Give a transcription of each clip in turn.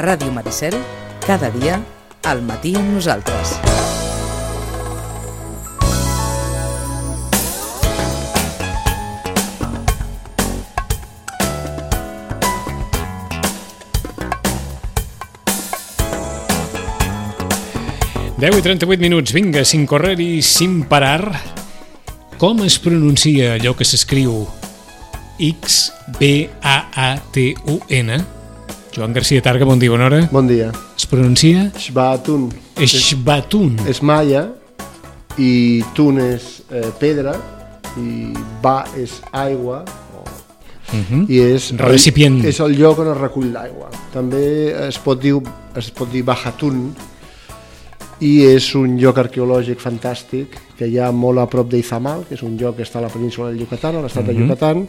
Ràdio Maricel, cada dia, al matí amb nosaltres. Deu i 38 minuts, vinga, sin correr i sin parar. Com es pronuncia allò que s'escriu X-B-A-A-T-U-N? Joan García Targa, bon dia, bona hora. Bon dia. Es pronuncia? Shbatun. Shbatun. És maia i tun és pedra i ba és aigua i és recipient. És el lloc on es recull l'aigua. També es pot dir Bajatun, i és un lloc arqueològic fantàstic que hi ha molt a prop d'Izamal, que és un lloc que està a la península del Yucatán, a l'estat de Yucatán,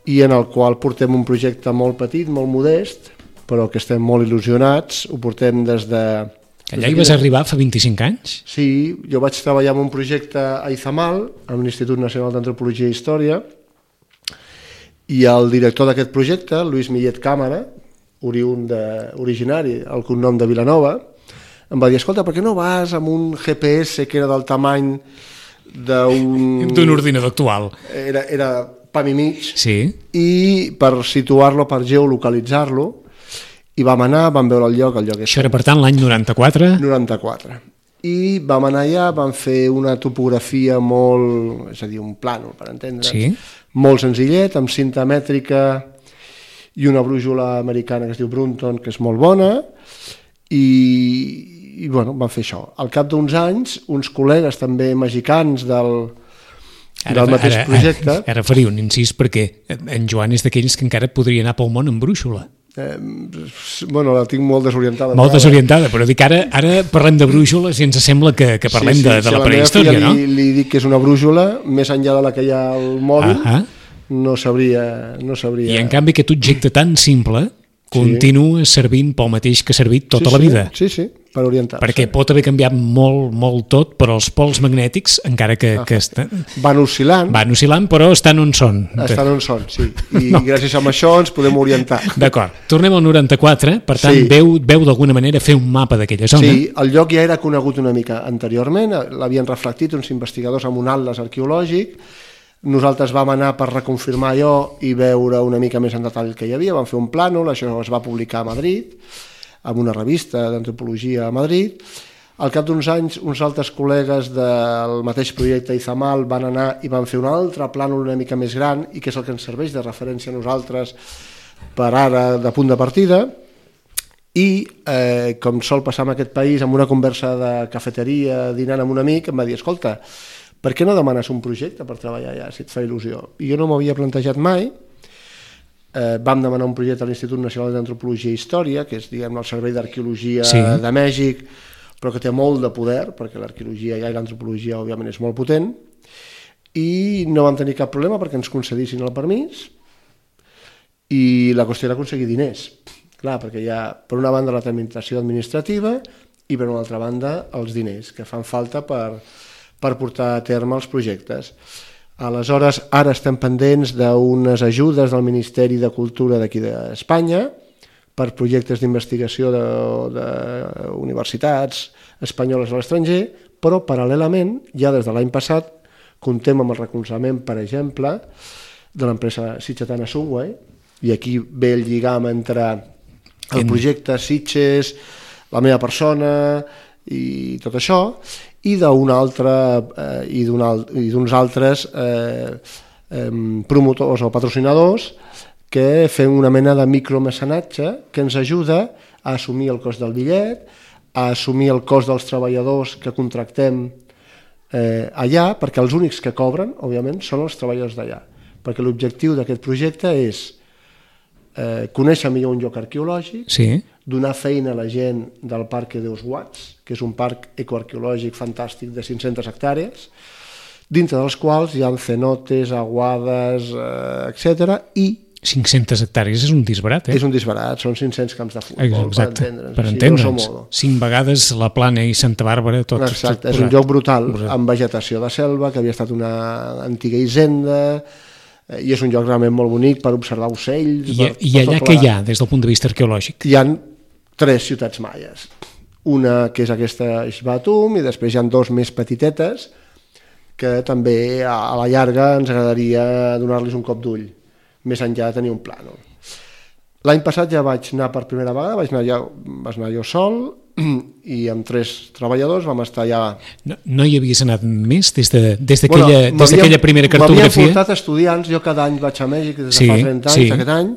i en el qual portem un projecte molt petit, molt modest, però que estem molt il·lusionats. Ho portem des de... Allà hi vas arribar fa 25 anys? Sí, jo vaig treballar en un projecte a Izamal, a l'Institut Nacional d'Antropologia i Història, i el director d'aquest projecte, Lluís Millet Càmera, originari, el cognom de Vilanova, em va dir, escolta, per què no vas amb un GPS que era del tamany d'un ordinador actual? Era pam i mig, sí. I per situar-lo, per geolocalitzar-lo, i vam anar, vam veure el lloc. Això era, per tant, l'any 94? 94. I vam anar allà, vam fer una topografia molt, és a dir, un plànol, per entendre'ns, sí. Molt senzillet, amb cinta mètrica i una brújula americana que es diu Brunton, que és molt bona, i bueno, vam fer això. Al cap d'uns anys, uns col·legues també mexicans del mateix projecte... Ara faria un incís perquè en Joan és d'aquells que encara podria anar pel món amb brúixola. Bueno, la tinc molt desorientada. Molt desorientada, però dic ara parlem de brúixoles i ens sembla que parlem de la prehistòria, no? Li dic que és una brúixola, més enllà de la que hi ha al mòbil, no sabria... I en canvi aquest objecte tan simple continua servint pel mateix que ha servit tota la vida. Sí, per orientar-se. Perquè pot haver canviat molt tot, però els pols magnètics, encara que van oscil·lant, però estan on són. Estan on són, sí. I gràcies a això ens podem orientar. D'acord. Tornem al 94, per tant, veu d'alguna manera fer un mapa d'aquella zona. Sí, el lloc ja era conegut una mica anteriorment, l'havien reflectit uns investigadors amb un atles arqueològic. Nosaltres vam anar per reconfirmar allò i veure una mica més en detall que hi havia, vam fer un plànol, això es va publicar a Madrid, en una revista d'antropologia a Madrid. Al cap d'uns anys, uns altres col·legues del mateix projecte Izamal van anar i van fer un altre plànol una mica més gran i que és el que ens serveix de referència a nosaltres per ara de punt de partida. I, com sol passar en aquest país, en una conversa de cafeteria, dinant amb un amic, em va dir, escolta, per què no demanes un projecte per treballar allà, si et fa il·lusió? I jo no m'havia plantejat mai. Vam demanar un projecte a l'Institut Nacional d'Antropologia i Història, que és, diguem, el Servei d'Arqueologia de Mèxic, però que té molt de poder, perquè l'arqueologia i l'antropologia, òbviament, és molt potent, i no vam tenir cap problema perquè ens concedissin el permís, i la qüestió era aconseguir diners. Clar, perquè hi ha, per una banda, la tramitació administrativa i, per una altra banda, els diners que fan falta per portar a terme els projectes. Aleshores, ara estem pendents d'unes ajudes del Ministeri de Cultura d'aquí d'Espanya per projectes d'investigació d'universitats espanyoles a l'estranger, però paral·lelament, ja des de l'any passat, comptem amb el recolzament, per exemple, de l'empresa sitgetana Sunway, i aquí ve el lligam entre el projecte Sitges, la meva persona i tot això, i d'uns altres promotors o patrocinadors que fem una mena de micromecenatge que ens ajuda a assumir el cost del bitllet, a assumir el cost dels treballadors que contractem allà, perquè els únics que cobren, òbviament, són els treballadors d'allà. Perquè l'objectiu d'aquest projecte és conèixer millor un lloc arqueològic, donar feina a la gent del Parque dels Guats, que és un parc ecoarqueològic fantàstic de 500 hectàrees, dintre dels quals hi ha cenotes, aguades, etc. I 500 hectàrees és un disbarat, És un disbarat, són 500 camps de futbol, per entendre'ns. 5 vegades la Plana i Santa Bàrbara, tot. Exacte, és un lloc brutal, amb vegetació de selva, que havia estat una antiga hisenda, i és un lloc realment molt bonic per observar ocells. I allà què hi ha des del punt de vista arqueològic? Hi ha 3 ciutats maies. Una que és aquesta Ixbatum i després hi ha 2 més petitetes que també a la llarga ens agradaria donar-los un cop d'ull, més enllà de tenir un plànol. L'any passat ja vaig anar per primera vegada, vaig anar jo sol i amb 3 treballadors vam estar ja... No hi havies anat més des d'aquella primera cartografia? M'havien portat estudiants, jo cada any vaig a Mèxic des de fa 30 anys, aquest any,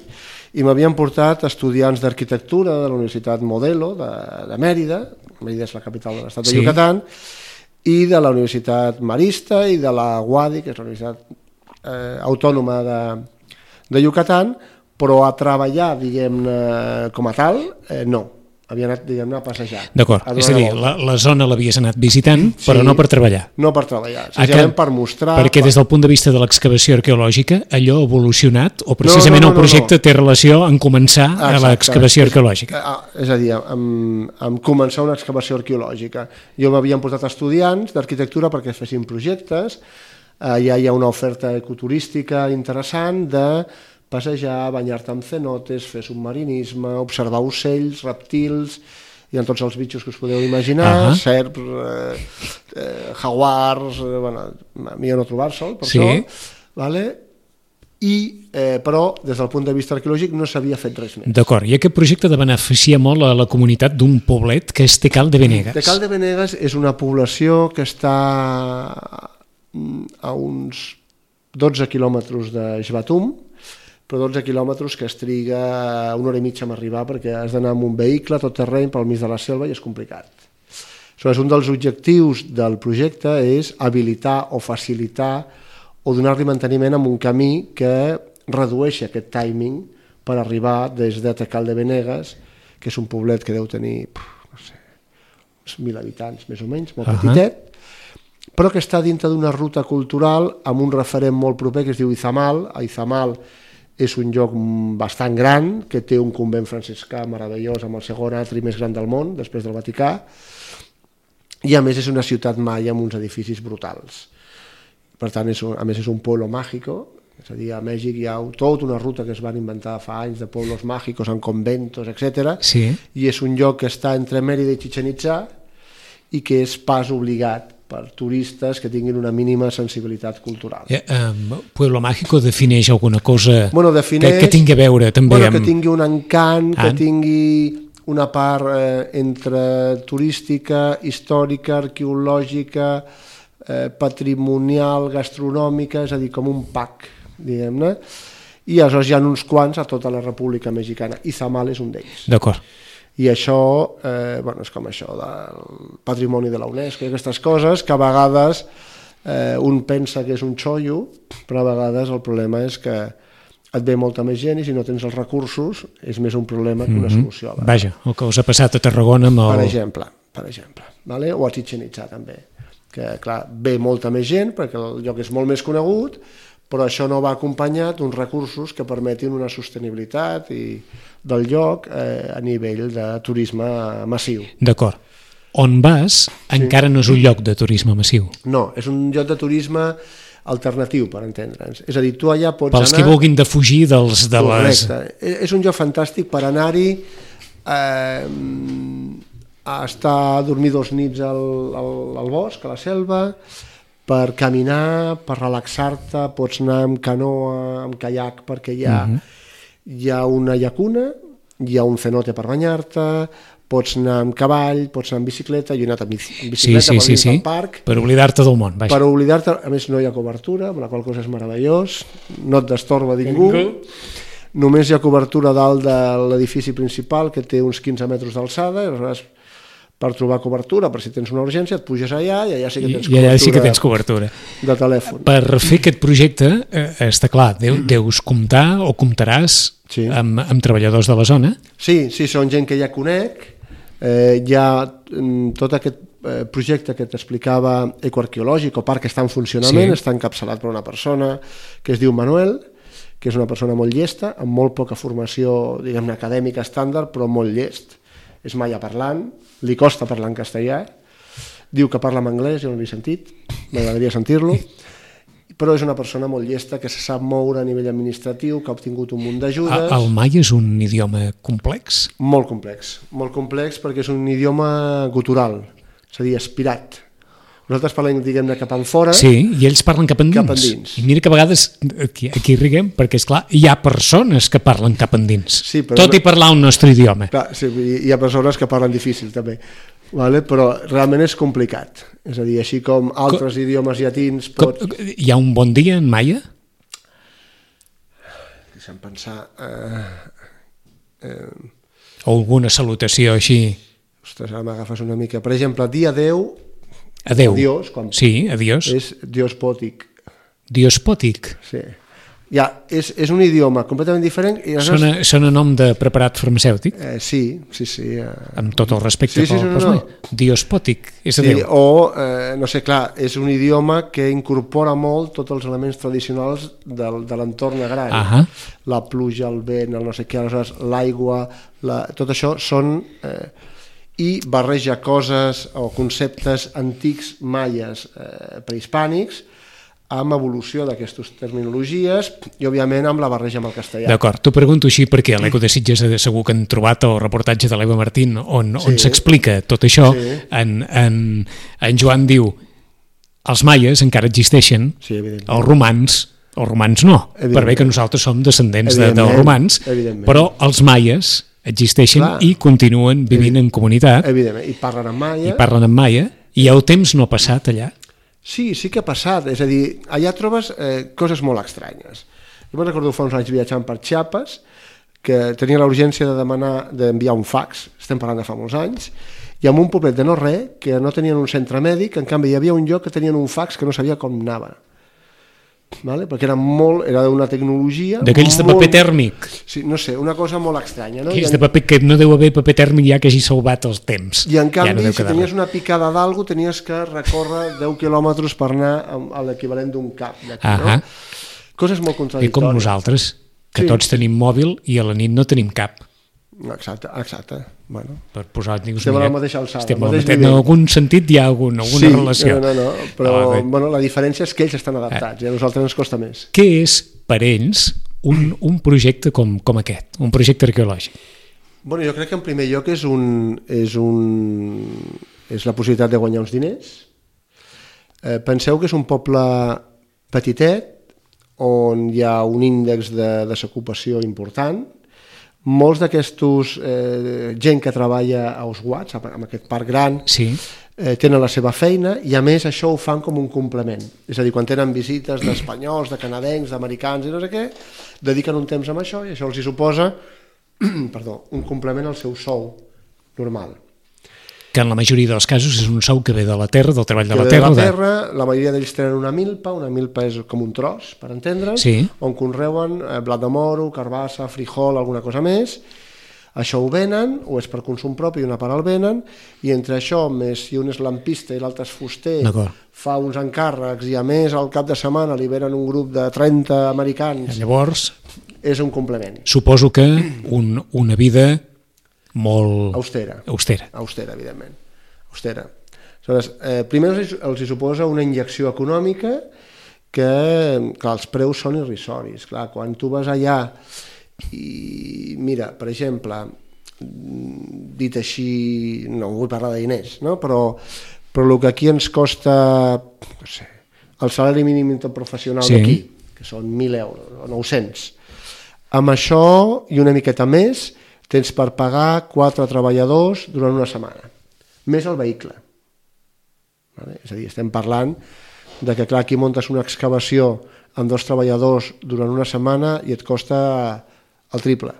i m'havien portat estudiants d'arquitectura de la Universitat Modelo de Mèrida, Mèrida és la capital de l'estat de Yucatán, i de la Universitat Marista i de la UADY, que és la Universitat Autònoma de Yucatán, però a treballar, diguem-ne, com a tal, no. Havia anat, diguem-ne, a passejar. D'acord, és a dir, la zona l'havies anat visitant, però no per treballar. No per treballar, senzillament per mostrar... Perquè des del punt de vista de l'excavació arqueològica, allò ha evolucionat, o precisament el projecte té relació en començar a l'excavació arqueològica? És a dir, en començar una excavació arqueològica. Jo m'havien portat estudiants d'arquitectura perquè fessin projectes, allà hi ha una oferta ecoturística interessant de passejar, banyar-te amb cenotes, fer submarinisme, observar ocells, reptils, hi ha tots els bitxos que us podeu imaginar, serps, jaguars, millor no trobar-se'l, per això, però des del punt de vista arqueològic no s'havia fet res més. D'acord, i aquest projecte de beneficiar molt a la comunitat d'un poblet que és Tecal de Venegas. Tecal de Venegas és una població que està a uns 12 quilòmetres de Ixbatum, però 12 quilòmetres que es triga 1 hora i mitja a arribar perquè has d'anar amb un vehicle tot terreny pel mig de la selva i és complicat. Aleshores, un dels objectius del projecte és habilitar o facilitar o donar-li manteniment amb un camí que redueixi aquest timing per arribar des de Tecal de Venegas, que és un poblet que deu tenir, no sé, uns 1.000 habitants més o menys, molt petitet, però que està dintre d'una ruta cultural amb un referent molt proper que es diu Izamal. Izamal és un lloc bastant gran, que té un convent franciscà meravellós amb el segon atri més gran del món, després del Vaticà, i a més és una ciutat maia amb uns edificis brutals. Per tant, a més és un pueblo mágico, és a dir, a Mèxic hi ha tota una ruta que es van inventar fa anys de pueblos mágicos en conventos, etc. I és un lloc que està entre Mèrida i Chichén Itzá i que és pas obligat per turistes que tinguin una mínima sensibilitat cultural. Pueblo Mágico defineix alguna cosa que tingui a veure també amb... Que tingui un encant, que tingui una part entre turística, històrica, arqueològica, patrimonial, gastronòmica, és a dir, com un pack, diguem-ne, i aleshores hi ha uns quants a tota la República Mexicana. Izamal és un d'ells. D'acord. I això, és com això del patrimoni de la UNESCO i aquestes coses que a vegades un pensa que és un xollo, però a vegades el problema és que et ve molta més gent i si no tens els recursos és més un problema que una solució. Vaja, el que us ha passat a Tarragona amb el... Per exemple, o a Chichén Itzá també, que clar, ve molta més gent perquè el lloc és molt més conegut, però això no va acompanyat d'uns recursos que permetin una sostenibilitat del lloc a nivell de turisme massiu. D'acord. On vas encara no és un lloc de turisme massiu. No, és un lloc de turisme alternatiu, per entendre'ns. És a dir, tu allà pots anar... Pels que vulguin defugir dels... Correcte. És un lloc fantàstic per anar-hi a estar a dormir 2 nits al bosc, a la selva, per caminar, per relaxar-te, pots anar amb canoa, amb caiac, perquè hi ha una llacuna, hi ha un cenote per banyar-te, pots anar amb cavall, pots anar amb bicicleta, jo he anat amb bicicleta per dins del parc. Per oblidar-te del món. Per oblidar-te, a més no hi ha cobertura, amb la qual cosa és meravellós, no et destorba ningú, només hi ha cobertura dalt de l'edifici principal, que té uns 15 metres d'alçada, i aleshores per trobar cobertura, per si tens una urgència, et puges allà i allà sí que tens cobertura de telèfon. Per fer aquest projecte, està clar, deus comptar o comptaràs amb treballadors de la zona? Sí, són gent que ja conec. Hi ha tot aquest projecte que t'explicava ecoarqueològic o parc que està en funcionament, està encapçalat per una persona que es diu Manuel, que és una persona molt llesta, amb molt poca formació, diguem-ne, acadèmica estàndard, però molt llest. És maia parlant, li costa parlar en castellà, diu que parla en anglès, jo no l'he sentit, m'agradaria sentir-lo, però és una persona molt llesta, que se sap moure a nivell administratiu, que ha obtingut un munt d'ajudes. El maia és un idioma complex? Molt complex perquè és un idioma gutural, és a dir, aspirat. Nosaltres parlem, diguem-ne, cap enfora. Sí, i ells parlen cap endins. I mira que a vegades aquí riguem, perquè, esclar, hi ha persones que parlen cap endins, sí, tot i parlar un nostre idioma. Clar, sí, hi ha persones que parlen difícil, també. Vale? Però realment és complicat. És a dir, així com altres idiomes llatins... Hi ha un bon dia en maia? Deixa'm pensar... O alguna salutació així? Ostres, ara m'agafes una mica. Per exemple, dia 10... Adéu. Adiós. Sí, adiós. És diospòtic. Diospòtic? Sí. Ja, és un idioma completament diferent. I sona nom de preparat farmacèutic? Sí. Amb tot el respecte no. Diospòtic, és adéu. Sí, o, no sé, clar, és un idioma que incorpora molt tots els elements tradicionals de l'entorn agrari. La pluja, el vent, el no sé què, l'aigua, tot això són... i barreja coses o conceptes antics maies prehispànics amb evolució d'aquestes terminologies i, òbviament, amb la barreja amb el castellà. D'acord, t'ho pregunto així perquè a l'Eco de Sitges segur que han trobat el reportatge de l'Eva Martín on s'explica tot això. En Joan diu els maies encara existeixen, els romans no, per bé que nosaltres som descendents dels romans, però els maies existeixen i continuen vivint en comunitat. Evidentment, i parlen en maia. I el temps no ha passat allà? Sí que ha passat, és a dir, allà trobes coses molt estranyes. Jo me'n recordo fa uns anys viatjant per Chiapas, que tenia la urgència d'enviar un fax, estem parlant de fa molts anys, i en un poblet de no res, que no tenien un centre mèdic, en canvi hi havia un lloc que tenien un fax que no sabia com anava. Vale? Perquè era d'una tecnologia... D'aquells de paper tèrmic. Sí, no sé, una cosa molt estranya. No? Aquells de paper que no deu haver paper tèrmic ja que hagi salvat els temps. I en canvi, si tenies una picada d'algú, tenies que recórrer 10 quilòmetres per anar a l'equivalent d'un cap. Coses molt contradictòries. I com nosaltres, que tots tenim mòbil i a la nit no tenim cap. Exacte. Bueno, per posar-nos... Estem a la mateixa alçada. En algun sentit hi ha alguna relació. No, però la diferència és que ells estan adaptats i a nosaltres ens costa més. Què és per ells un projecte com aquest, un projecte arqueològic? Bueno, jo crec que en primer lloc és la possibilitat de guanyar uns diners. Penseu que és un poble petitet on hi ha un índex de desocupació important. Molts d'aquestos gent que treballa a Oswats, en aquest parc gran, tenen la seva feina i a més això ho fan com un complement. És a dir, quan tenen visites d'espanyols, de canadencs, d'americans i no sé què, dediquen un temps amb això i això els hi suposa un complement al seu sou normal. Que en la majoria dels casos és un sou que ve de la terra, del treball de la terra. La majoria d'ells tenen una milpa és com un tros, per entendre's, on conreuen blat de moro, carbassa, frijol, alguna cosa més. Això ho venen, o és per consum propi, una part el venen, i entre això, més si un és lampista i l'altre és fuster, fa uns encàrrecs i a més al cap de setmana li venen un grup de 30 americans. Llavors... És un complement. Suposo que una vida... molt... Austera, evidentment. Austera. Aleshores, primer els hi suposa una injecció econòmica que els preus són irrisoris. Clar, quan tu vas allà i mira, per exemple, dit així, no vull parlar de diners, no? però el que aquí ens costa, no sé, el salari mínim interprofessional d'aquí, que són 1.000 euros o 900, amb això i una miqueta més tens per pagar 4 treballadors durant una setmana, més el vehicle. És a dir, estem parlant de que, clar, aquí muntes una excavació amb 2 treballadors durant una setmana i et costa el triple.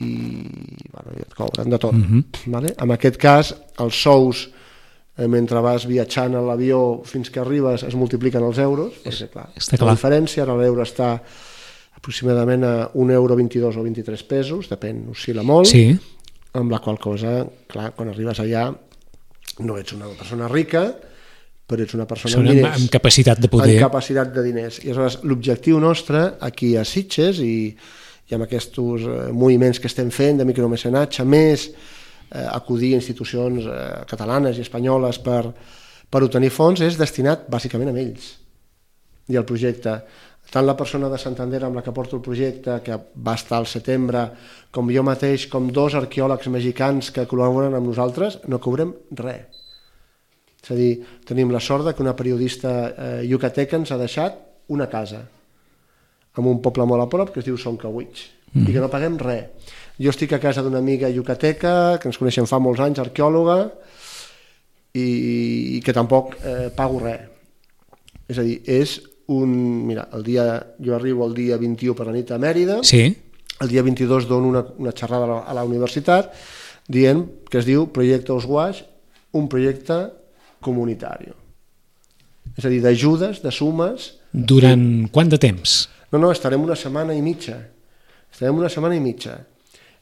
I et cobren de tot. En aquest cas, els sous, mentre vas viatjant a l'avió fins que arribes, es multipliquen els euros, perquè, clar, la diferència, ara l'euro està aproximadament a €1,22 o 23 pesos, depèn, oscil·la molt, amb la qual cosa, clar, quan arribes allà no ets una persona rica, però ets una persona amb diners. Amb capacitat de poder. Amb capacitat de diners. I aleshores l'objectiu nostre aquí a Sitges i amb aquests moviments que estem fent de micromecenatge, més acudir a institucions catalanes i espanyoles per per obtenir fons és destinat bàsicament a ells i al projecte. Tant la persona de Santander amb la que porto el projecte, que va estar al setembre, com jo mateix, com 2 arqueòlegs mexicans que col·laboren amb nosaltres, no cobrem res. És a dir, tenim la sort que una periodista yucateca ens ha deixat una casa en un poble molt a prop que es diu Soncawich i que no paguem res. Jo estic a casa d'una amiga yucateca que ens coneixem fa molts anys, arqueòloga, i que tampoc pago res. És a dir, és mira, jo arribo el dia 21 per la nit a Mèrida, el dia 22 dono una xerrada a la universitat dient que es diu Proyecto Oswash, un projecte comunitari. És a dir, d'ajudes, de sumes. Durant quant de temps? No, estarem una setmana i mitja.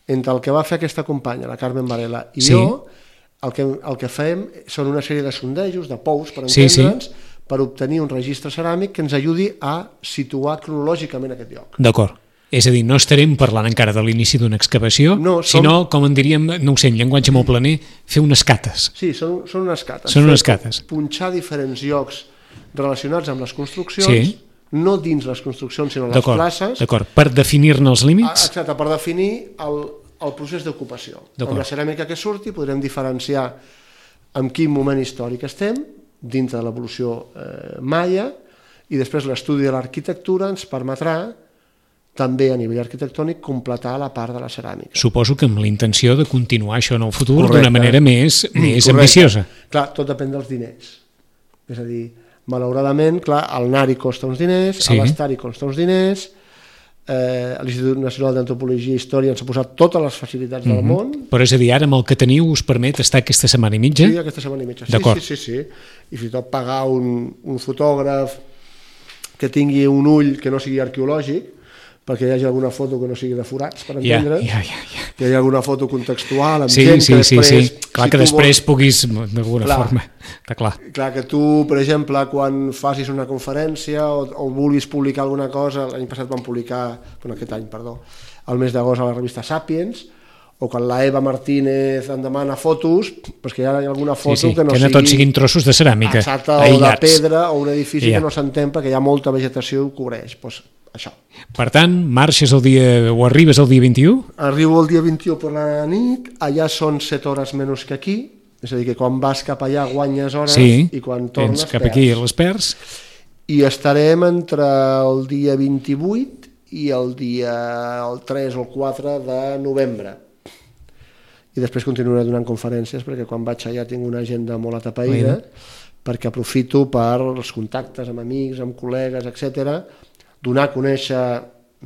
Entre el que va fer aquesta companya, la Carmen Varela, i jo, el que fem són una sèrie de sondejos, de pous, per entendre'ns, per obtenir un registre ceràmic que ens ajudi a situar cronològicament aquest lloc. D'acord. És a dir, no estarem parlant encara de l'inici d'una excavació, sinó, com en diríem, no ho sé, en llenguatge molt planer, fer unes cates. Sí, són unes cates. Són unes cates. Punxar diferents llocs relacionats amb les construccions, no dins les construccions, sinó les places. D'acord, per definir-ne els límits. Exacte, per definir el procés d'ocupació. Amb la ceràmica que surti podrem diferenciar en quin moment històric estem, dintre de l'evolució maia, i després l'estudi de l'arquitectura ens permetrà també a nivell arquitectònic completar la part de la ceràmica. Suposo que amb la intenció de continuar això en el futur d'una manera més ambiciosa. Clar, tot depèn dels diners. És a dir, malauradament, clar, el NARI costa uns diners, l'Estari costa uns diners, l'Institut Nacional d'Antropologia i Història ens ha posat totes les facilitats del món. Però és a dir, ara amb el que teniu us permet estar aquesta setmana i mitja? Sí, aquesta setmana i mitja. Sí. I fins i tot pagar un fotògraf que tingui un ull que no sigui arqueològic, perquè hi hagi alguna foto que no sigui de forats, per entendre'ns, que hi hagi alguna foto contextual amb gent que després... Clar, que després puguis, d'alguna forma... Clar, que tu, per exemple, quan facis una conferència o vulguis publicar alguna cosa, l'any passat vam publicar, aquest any, perdó, el mes d'agost a la revista Sapiens, o quan la Eva Martínez em demana fotos, perquè hi ha alguna foto que no sigui... Que no tots siguin trossos de ceràmica, exacte, o de pedra, o un edifici que no s'entén perquè hi ha molta vegetació i ho cobreix, doncs això. Per tant, marxes el dia, o arribes el dia 21? Arribo el dia 21 per la nit, allà són 7 hores menys que aquí, és a dir, que quan vas cap allà guanyes hores i quan tornes cap aquí les perds. I estarem entre el dia 28 i el 3 o el 4 de novembre. I després continuaré donant conferències, perquè quan vaig allà tinc una agenda molt atapeïda, perquè aprofito per els contactes amb amics, amb col·legues, etcètera, donar a conèixer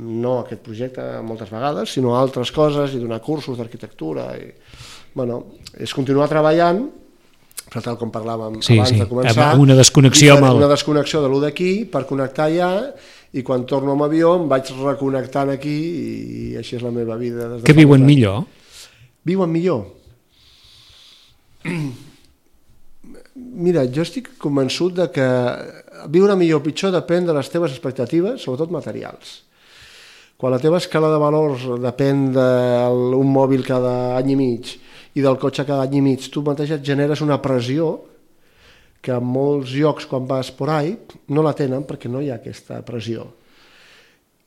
no aquest projecte moltes vegades, sinó altres coses i donar cursos d'arquitectura. És continuar treballant, però tal com parlàvem abans de començar, una desconnexió de lo d'aquí per connectar allà, i quan torno amb avió em vaig reconnectant aquí i així és la meva vida. Què viuen millor? Viuen millor? Mira, jo estic convençut de que viure millor o pitjor depèn de les teves expectatives, sobretot materials. Quan la teva escala de valors depèn d'un mòbil cada any i mig i del cotxe cada any i mig, tu mateix et generes una pressió que en molts llocs quan vas por ahí no la tenen perquè no hi ha aquesta pressió.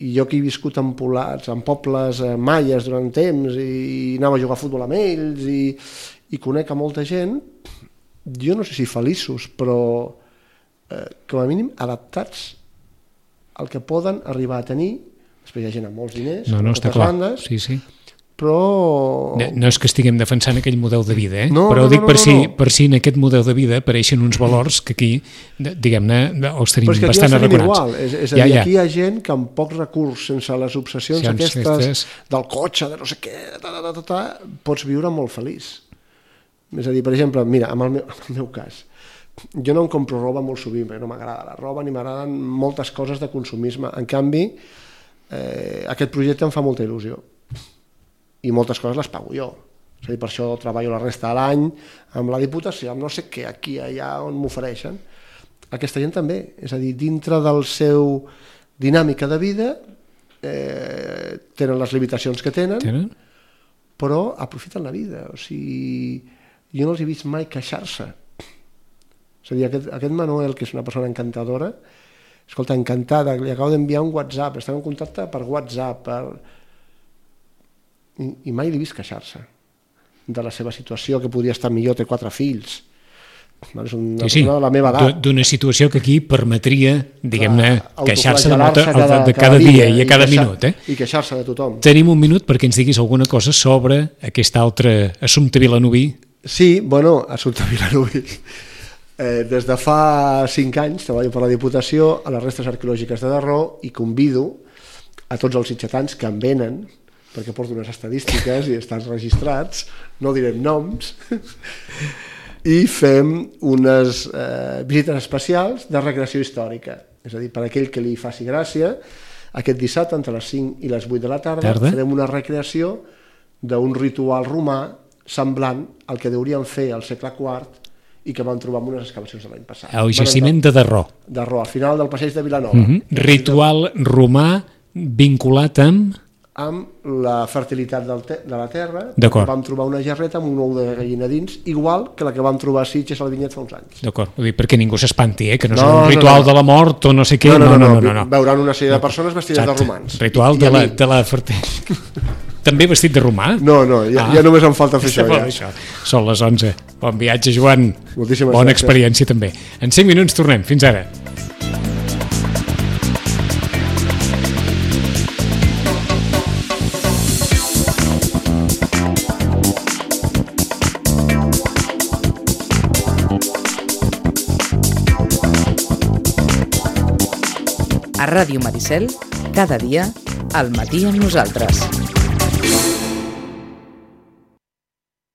I jo que he viscut en pobles maies durant temps i anava a jugar a futbol amb ells i conec a molta gent, jo no sé si feliços, però com a mínim adaptats al que poden arribar a tenir. Després hi ha gent amb molts diners, moltes bandes, però... No és que estiguem defensant aquell model de vida, però dic per si en aquest model de vida apareixen uns valors que aquí, diguem-ne, els tenim bastant arraconats. És a dir, aquí hi ha gent que amb pocs recursos, sense les obsessions aquestes del cotxe, de no sé què, pots viure molt feliç. És a dir, per exemple, mira, en el meu cas, jo no em compro roba molt sovint, perquè no m'agrada la roba ni m'agraden moltes coses de consumisme. En canvi, aquest projecte em fa molta il·lusió i moltes coses les pago jo. És a dir, per això treballo la resta de l'any amb la Diputació, amb no sé què, aquí, allà, on m'ofereixen. Aquesta gent també, és a dir, dintre del seu dinàmica de vida tenen les limitacions que tenen, però aprofiten la vida. O sigui, jo no els he vist mai queixar-se. És a dir, aquest Manuel, que és una persona encantadora, escolta, encantada, li acabo d'enviar un WhatsApp, estem en contacte per WhatsApp, i mai l'he vist queixar-se de la seva situació, que podria estar millor, té 4 fills. És una persona de la meva edat. D'una situació que aquí permetria, diguem-ne, queixar-se de cada dia i a cada minut. I queixar-se de tothom. Tenim un minut perquè ens diguis alguna cosa sobre aquest altre assumpte Vilanoví. Sí, bueno, assumpte Vilanoví. Des de fa 5 anys treballo per la Diputació a les restes arqueològiques de Darró i convido a tots els sitgetans que em venen, perquè porto unes estadístiques i estan registrats, no direm noms, i fem unes visites especials de recreació històrica. És a dir, per aquell que li faci gràcia, aquest dissabte entre les 5 i les 8 de la tarda farem una recreació d'un ritual romà semblant al que deurien fer al segle IV i que vam trobar en unes excavacions de l'any passat. El jaciment de Darró. Darró, al final del passeig de Vilanova. Ritual romà vinculat amb la fertilitat de la terra. Vam trobar una gerreta amb un ou de gallina dins, igual que la que vam trobar a Sitges al Vinyet fa uns anys. D'acord, vull dir, perquè ningú s'espanti, que no és un ritual de la mort o no sé què. No. Veuran una sèrie de persones vestides de romans. Ritual de la fertilitat. També vestit de romà? No, ja només em falta fer això. Són les 11. Bon viatge, Joan. Moltíssimes Bona experiència també. En 5 minuts tornem. Fins ara. A Ràdio Maricel, cada dia, al matí amb nosaltres.